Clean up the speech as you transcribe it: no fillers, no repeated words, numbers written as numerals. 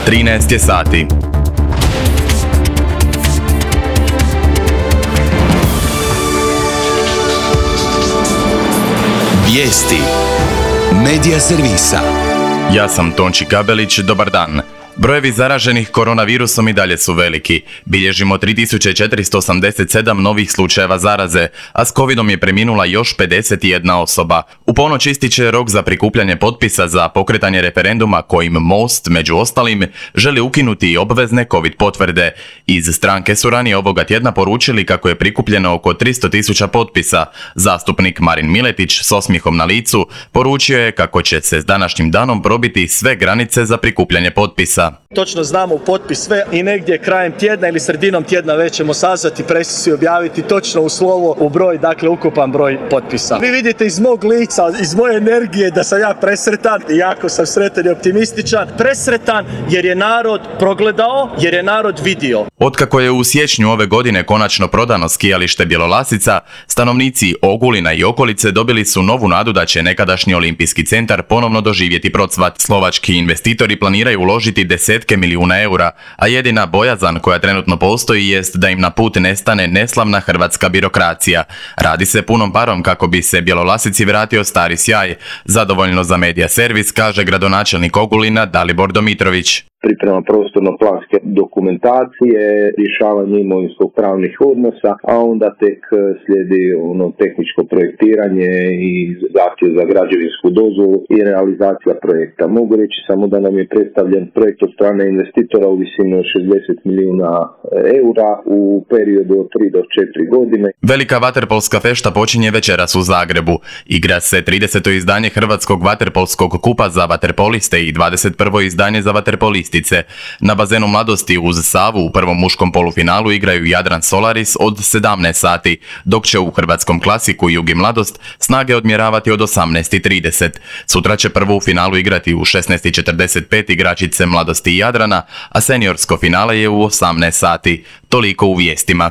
13 je sati. Vijesti Medija servisa. Ja sam Tonči Gabelić, dobar dan. Brojevi zaraženih koronavirusom i dalje su veliki. Bilježimo 3487 novih slučajeva zaraze, a s covidom je preminula još 51 osoba. U ponoć ističe rok za prikupljanje potpisa za pokretanje referenduma kojim Most, među ostalim, želi ukinuti i obvezne covid potvrde. Iz stranke su ranije ovoga tjedna poručili kako je prikupljeno oko 300.000 potpisa. Zastupnik Marin Miletić s osmijehom na licu poručio je kako će se s današnjim danom probiti sve granice za prikupljanje potpisa. Točno znamo u potpis sve i negdje krajem tjedna ili sredinom tjedna već ćemo sazvati presicu i objaviti točno u slovo, u broj, dakle ukupan broj potpisa. Vi vidite iz mog lica, iz moje energije da sam ja presretan, jako sam sretan i optimističan. Presretan jer je narod progledao, jer je narod vidio. Otkako je u siječnju ove godine konačno prodano skijalište Bjelolasica, stanovnici Ogulina i okolice dobili su novu nadu da će nekadašnji olimpijski centar ponovno doživjeti procvat. Slovački investitori planiraju uložiti desetke milijuna eura, a jedina bojazan koja trenutno postoji jest da im na put nestane neslavna hrvatska birokracija. Radi se punom parom kako bi se Bjelolasici vratio stari sjaj. Zadovoljno za medija servis kaže gradonačelnik Ogulina Dalibor Domitrović. Priprema prostorno-planske dokumentacije, rješavanje imovinsko-pravnih odnosa, a onda tek slijedi tehničko projektiranje i zahtjev za građevinsku dozvolu i realizacija projekta. Mogu reći samo da nam je predstavljen projekt od strane investitora u visini od 60 milijuna eura u periodu od 3 do 4 godine. Velika vaterpolska fešta počinje večeras u Zagrebu. Igra se 30. izdanje Hrvatskog vaterpolskog kupa za vaterpoliste i 21. izdanje za vaterpoliste. Na bazenu Mladosti uz Savu u prvom muškom polufinalu igraju Jadran Solaris od 17 sati, dok će u hrvatskom klasiku Jugi Mladost snage odmjeravati od 18:30. Sutra će prvo u finalu igrati u 16:45 igračice Mladosti i Jadrana, a seniorsko finale je u 18 sati. Toliko u vijestima.